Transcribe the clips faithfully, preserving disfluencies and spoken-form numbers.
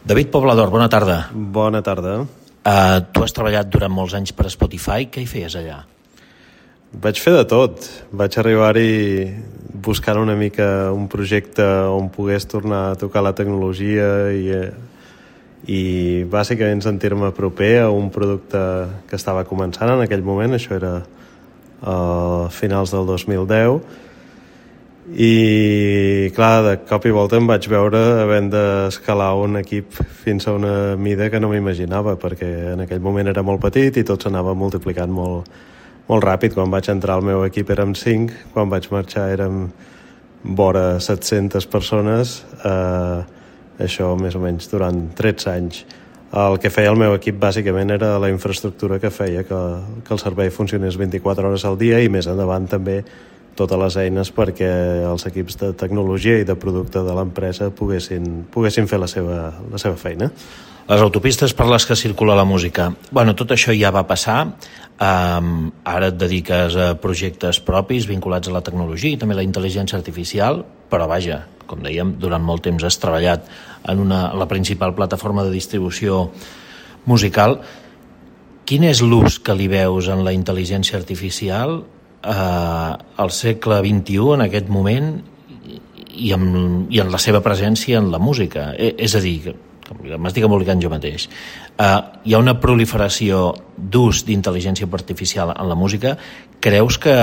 David Poblador, bona tarda. Bona tarda. Uh, tu has treballat durant molts anys per Spotify. Què hi feies allà? Vaig fer de tot. Vaig arribar-hi buscant una mica un projecte on pogués tornar a tocar la tecnologia i, i bàsicament sentir-me proper a un producte que estava començant en aquell moment. Això era a finals del dos mil deu. I clar, de cop i volta em vaig veure havent d'escalar un equip fins a una mida que no m'imaginava, perquè en aquell moment era molt petit i tot s'anava multiplicant molt, molt ràpid. Quan vaig entrar al meu equip érem cinc, quan vaig marxar érem vora set-centes persones, eh, això més o menys durant tretze anys. El que feia el meu equip bàsicament era la infraestructura que feia que, que el servei funcionés vint-i-quatre hores al dia i més endavant també totes les eines perquè els equips de tecnologia i de producte de l'empresa poguessin, poguessin fer la seva, la seva feina. Les autopistes per les que circula la música. Bueno, tot això ja va passar. Um, ara et dediques a projectes propis vinculats a la tecnologia i també a la intel·ligència artificial, però vaja, com dèiem, durant molt temps has treballat en una, la principal plataforma de distribució musical. Quin és l'ús que li veus en la intel·ligència artificial Uh, al segle vint-i-u, en aquest moment, i en, i en la seva presència en la música? E, és a dir, que m'estic embolicant jo mateix, uh, hi ha una proliferació d'ús d'intel·ligència artificial en la música. Creus que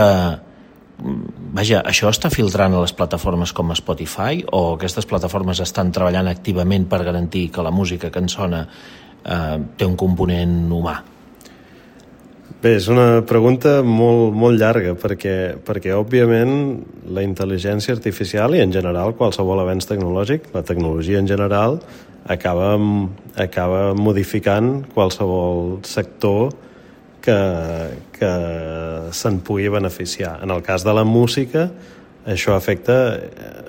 vaja, això està filtrant a les plataformes com Spotify, o aquestes plataformes estan treballant activament per garantir que la música que en sona uh, té un component humà? Bé, és una pregunta molt, molt llarga perquè, perquè òbviament la intel·ligència artificial i en general qualsevol avenç tecnològic, la tecnologia en general, acaba, acaba modificant qualsevol sector que, que se'n pugui beneficiar. En el cas de la música, això afecta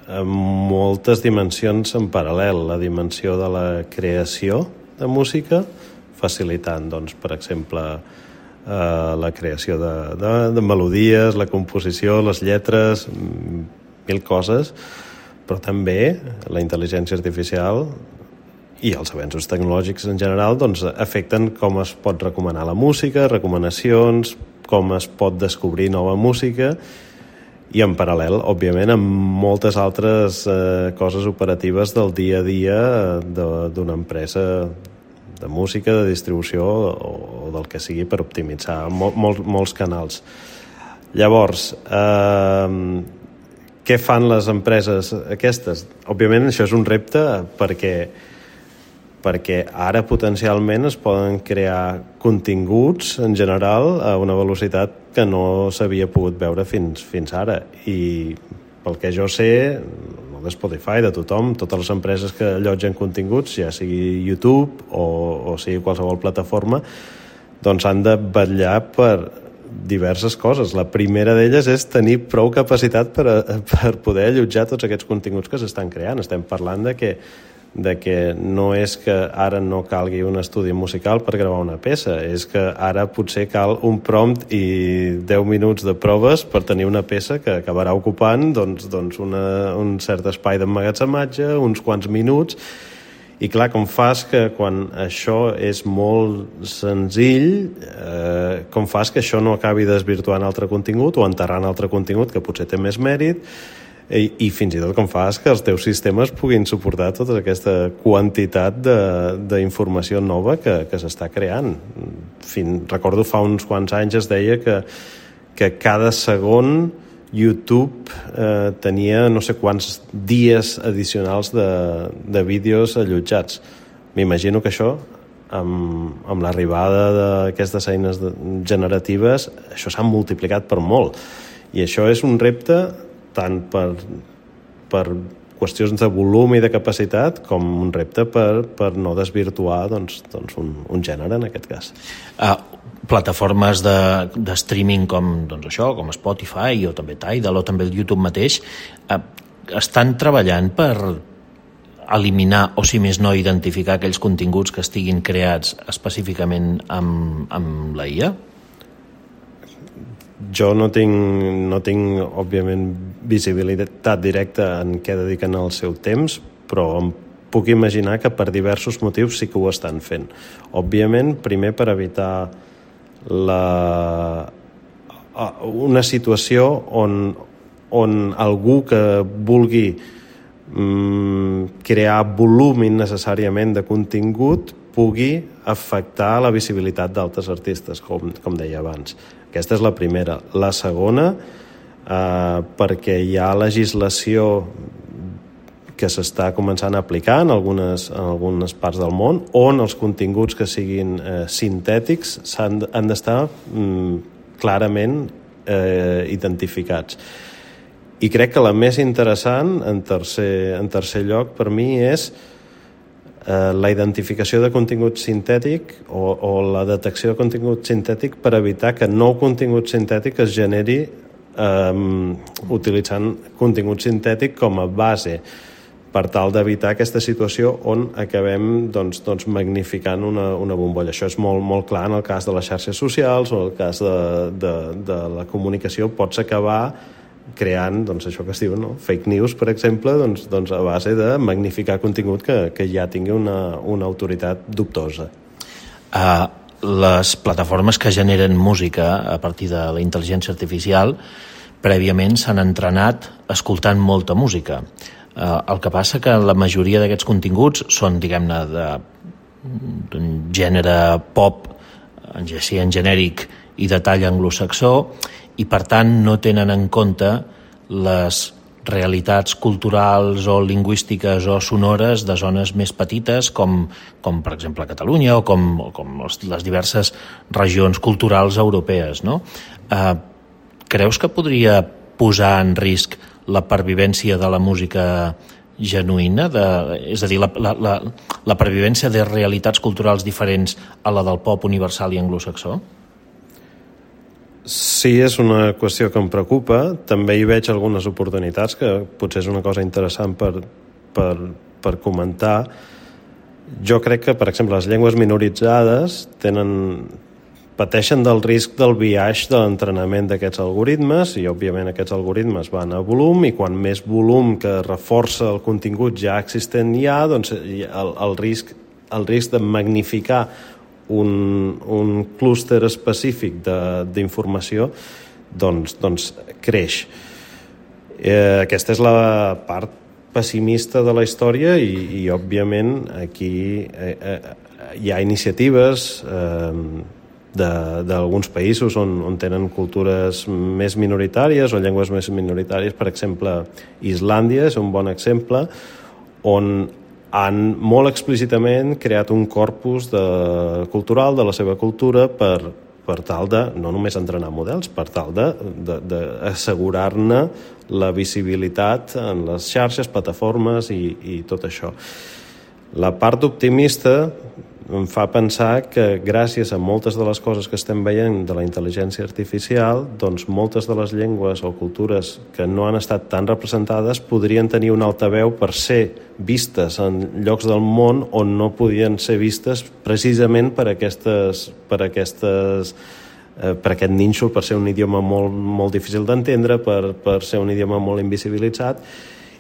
a moltes dimensions en paral·lel. La dimensió de la creació de música, facilitant, doncs, per exemple, Uh, la creació de, de, de melodies, la composició, les lletres, mil coses, però també la intel·ligència artificial i els avenços tecnològics en general doncs, afecten com es pot recomanar la música, recomanacions, com es pot descobrir nova música i en paral·lel, òbviament, amb moltes altres uh, coses operatives del dia a dia d'una empresa de música, de distribució o del que sigui per optimitzar mol, mol, molts canals. Llavors, eh, què fan les empreses aquestes? Òbviament això és un repte perquè, perquè ara potencialment es poden crear continguts en general a una velocitat que no s'havia pogut veure fins, fins ara. I pel que jo sé, de Spotify, de tothom, totes les empreses que allotgen continguts, ja sigui YouTube o, o sigui qualsevol plataforma, doncs han de vetllar per diverses coses. La primera d'elles és tenir prou capacitat per, a, per poder allotjar tots aquests continguts que s'estan creant. Estem parlant de que, de que no és que ara no calgui un estudi musical per gravar una peça, és que ara potser cal un prompt i deu minuts de proves per tenir una peça que acabarà ocupant doncs, doncs una, un cert espai d'emmagatzematge, uns quants minuts. I clar, com fas que quan això és molt senzill, eh, com fas que això no acabi desvirtuant altre contingut o enterrant altre contingut que potser té més mèrit, i, i fins i tot com fas que els teus sistemes puguin suportar tota aquesta quantitat d'informació nova que, que s'està creant. Fin, recordo fa uns quants anys es deia que, que cada segon YouTube eh, tenia no sé quants dies addicionals de, de vídeos allotjats. M'imagino que això, amb, amb l'arribada d'aquestes eines de, generatives, això s'ha multiplicat per molt. I això és un repte tant per, per qüestions de volum i de capacitat com un repte per, per no desvirtuar doncs, doncs un, un gènere, en aquest cas. Uh, plataformes de, de streaming com, doncs això, com Spotify o també Tidal o també el YouTube mateix uh, estan treballant per eliminar o, si més no, identificar aquells continguts que estiguin creats específicament amb, amb la I A? Jo no tinc, no tinc, òbviament, visibilitat directa en què dediquen el seu temps, però em puc imaginar que per diversos motius sí que ho estan fent. Òbviament, primer per evitar la... una situació on, on algú que vulgui mm, crear volum innecessàriament de contingut pugui afectar la visibilitat d'altres artistes, com, com deia abans. Aquesta és la primera. La segona, eh, perquè hi ha legislació que s'està començant a aplicar en algunes, en algunes parts del món, on els continguts que siguin eh, sintètics han, han d'estar mm, clarament eh, identificats. I crec que la més interessant, en tercer, en tercer lloc, per mi, és eh, la identificació de contingut sintètic o, o la detecció de contingut sintètic per evitar que nou contingut sintètic es generi eh, utilitzant contingut sintètic com a base, per tal d'evitar aquesta situació on acabem doncs, doncs, magnificant una, una bombolla. Això és molt, molt clar en el cas de les xarxes socials o en el cas de, de, de la comunicació. Pots acabar creant doncs, això que es diu, no? Fake news, per exemple, doncs, doncs a base de magnificar contingut que, que ja tingui una, una autoritat dubtosa. Uh, les plataformes que generen música a partir de la intel·ligència artificial prèviament s'han entrenat escoltant molta música. Uh, el que passa que la majoria d'aquests continguts són, diguem-ne, d'un gènere pop, sí, en genèric i de tall anglosaxó, i per tant no tenen en compte les realitats culturals o lingüístiques o sonores de zones més petites com, com per exemple Catalunya o com, o com les diverses regions culturals europees, no? Uh, creus que podria posar en risc la pervivència de la música genuïna, de, és a dir, la, la, la, la pervivència de realitats culturals diferents a la del pop universal i anglosaxó? Sí, és una qüestió que em preocupa. També hi veig algunes oportunitats, que potser és una cosa interessant per, per, per comentar. Jo crec que, per exemple, les llengües minoritzades tenen... pateixen del risc del biaix de l'entrenament d'aquests algoritmes i, òbviament, aquests algoritmes van a volum i quan més volum que reforça el contingut ja existent hi ha, doncs el, el, risc, el risc de magnificar un, un clúster específic d'informació doncs, doncs creix. Eh, aquesta és la part pessimista de la història i, i òbviament, aquí eh, eh, hi ha iniciatives eh, d'alguns països on, on tenen cultures més minoritàries o llengües més minoritàries. Per exemple, Islàndia és un bon exemple on han molt explícitament creat un corpus de, cultural de la seva cultura per, per tal de, no només entrenar models, per tal d'assegurar-ne la visibilitat en les xarxes, plataformes i, i tot això. La part optimista em fa pensar que gràcies a moltes de les coses que estem veient de la intel·ligència artificial, doncs moltes de les llengües o cultures que no han estat tan representades podrien tenir un altaveu per ser vistes en llocs del món on no podien ser vistes precisament per aquestes, per aquestes eh, per aquest nínxol, per ser un idioma molt, molt difícil d'entendre, per, per ser un idioma molt invisibilitzat.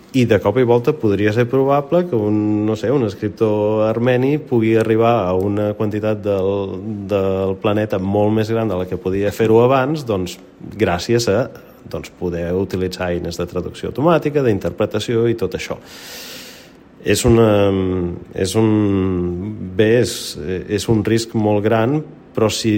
I de cop i volta podria ser probable que un, no sé, un escriptor armeni pugui arribar a una quantitat del, del planeta molt més gran de la que podia fer-ho abans, doncs gràcies a doncs, poder utilitzar eines de traducció automàtica, d'interpretació i tot això. És, una, és un bé, és, és un risc molt gran, però si,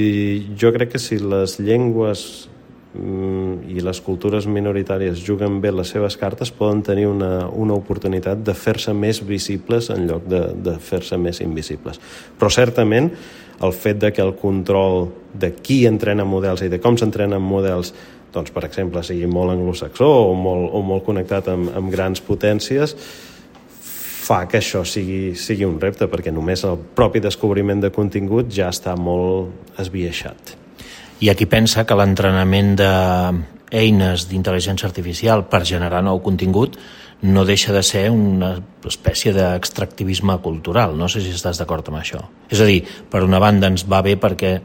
jo crec que si les llengües i les cultures minoritàries juguen bé les seves cartes, poden tenir una, una oportunitat de fer-se més visibles en lloc de, de fer-se més invisibles. Però certament el fet de que el control de qui entrena models i de com s'entrenen models, doncs, per exemple, sigui molt anglosaxó o molt, o molt connectat amb, amb grans potències, fa que això sigui, sigui un repte, perquè només el propi descobriment de contingut ja està molt esbiaixat. Hi ha qui pensa que l'entrenament d'eines d'intel·ligència artificial per generar nou contingut no deixa de ser una espècie d'extractivisme cultural. No sé si estàs d'acord amb això. És a dir, per una banda ens va bé perquè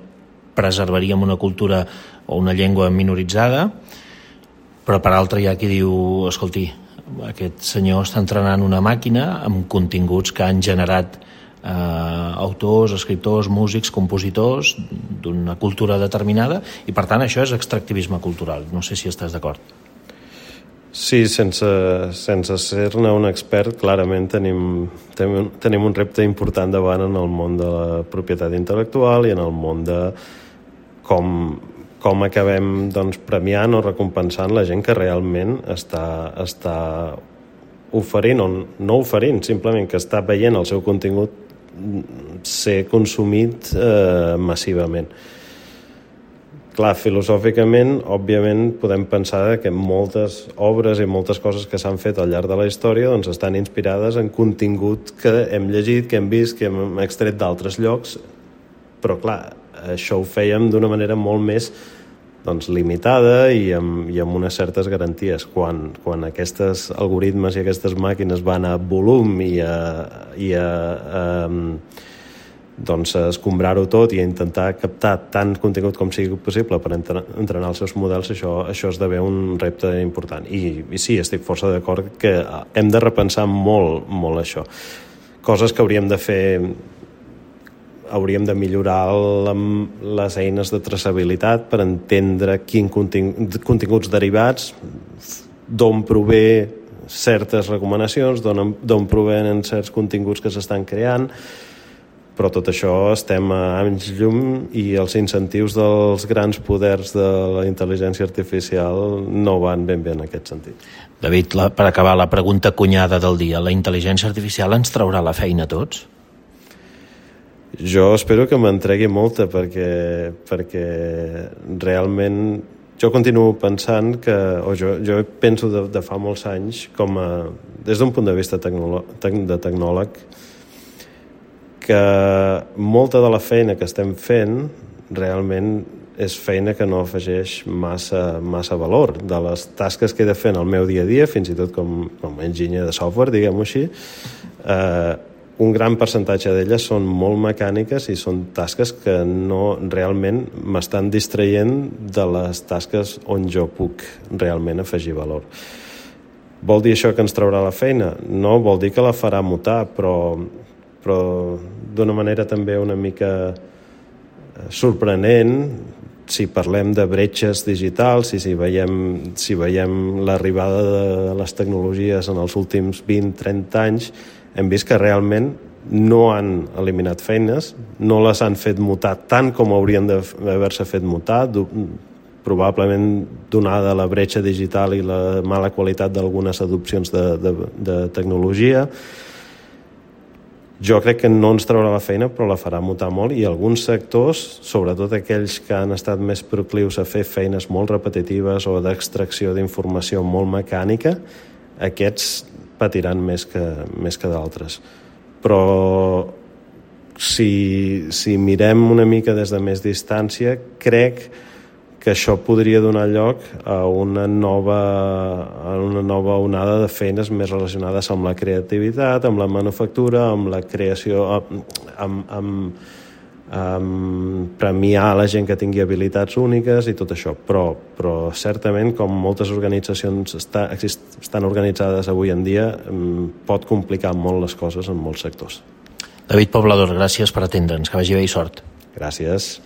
preservaríem una cultura o una llengua minoritzada, però per altra hi ha qui diu, escolti, aquest senyor està entrenant una màquina amb continguts que han generat eh, autors, escriptors, músics, compositors d'una cultura determinada, i per tant això és extractivisme cultural. No sé si estàs d'acord. Sí, sense, sense ser-ne un expert, clarament tenim, tenim, tenim un repte important davant en el món de la propietat intel·lectual i en el món de com, com acabem doncs, premiant o recompensant la gent que realment està, està oferint, o no oferint, simplement que està veient el seu contingut ser consumit eh, massivament. Clar, filosòficament, òbviament, podem pensar que moltes obres i moltes coses que s'han fet al llarg de la història doncs, estan inspirades en contingut que hem llegit, que hem vist, que hem extret d'altres llocs, però clar, això ho fèiem d'una manera molt més doncs, limitada i amb, i amb unes certes garanties. Quan, quan aquests algoritmes i aquestes màquines van a volum i a, i a, a doncs escombrar-ho tot i intentar captar tant contingut com sigui possible per entrenar els seus models, això, això esdevé un repte important. I, i sí, estic força d'acord que hem de repensar molt, molt això. Coses que hauríem de fer, hauríem de millorar la, les eines de traçabilitat per entendre quin contingut, continguts derivats, d'on prové certes recomanacions, d'on provenen certs continguts que s'estan creant, però tot això estem a anys llum i els incentius dels grans poders de la intel·ligència artificial no van ben bé en aquest sentit. David, la, per acabar, la pregunta cunyada del dia. La intel·ligència artificial ens traurà la feina a tots? Jo espero que m'entregui molta perquè, perquè realment jo continuo pensant que, o jo, jo penso de, de fa molts anys com a, des d'un punt de vista tecnolo, de tecnòleg, que molta de la feina que estem fent realment és feina que no afegeix massa, massa valor. De les tasques que he de fer en el meu dia a dia, fins i tot com, com a enginyer de software, diguem-ho així, eh, un gran percentatge d'elles són molt mecàniques i són tasques que no realment m'estan distraient de les tasques on jo puc realment afegir valor. Vol dir això que ens traurà la feina? No, vol dir que la farà mutar, però però d'una manera també una mica sorprenent si parlem de bretxes digitals i si veiem, si veiem l'arribada de les tecnologies en els últims vint a trenta anys, hem vist que realment no han eliminat feines, no les han fet mutar tant com haurien d'haver-se fet mutar, probablement donada la bretxa digital i la mala qualitat d'algunes adopcions de, de, de tecnologia. Jo crec que no ens traurà la feina, però la farà mutar molt, i alguns sectors, sobretot aquells que han estat més proclius a fer feines molt repetitives o d'extracció d'informació molt mecànica, aquests patiran més que, més que d'altres. Però si, si mirem una mica des de més distància, crec que això podria donar lloc a una nova, a una nova onada de feines més relacionades amb la creativitat, amb la manufactura, amb la creació, amb, amb, amb premiar la gent que tingui habilitats úniques i tot això. Però, però certament, com moltes organitzacions està, estan organitzades avui en dia, pot complicar molt les coses en molts sectors. David Poblador, gràcies per atendre'ns. Que vagi bé i sort. Gràcies.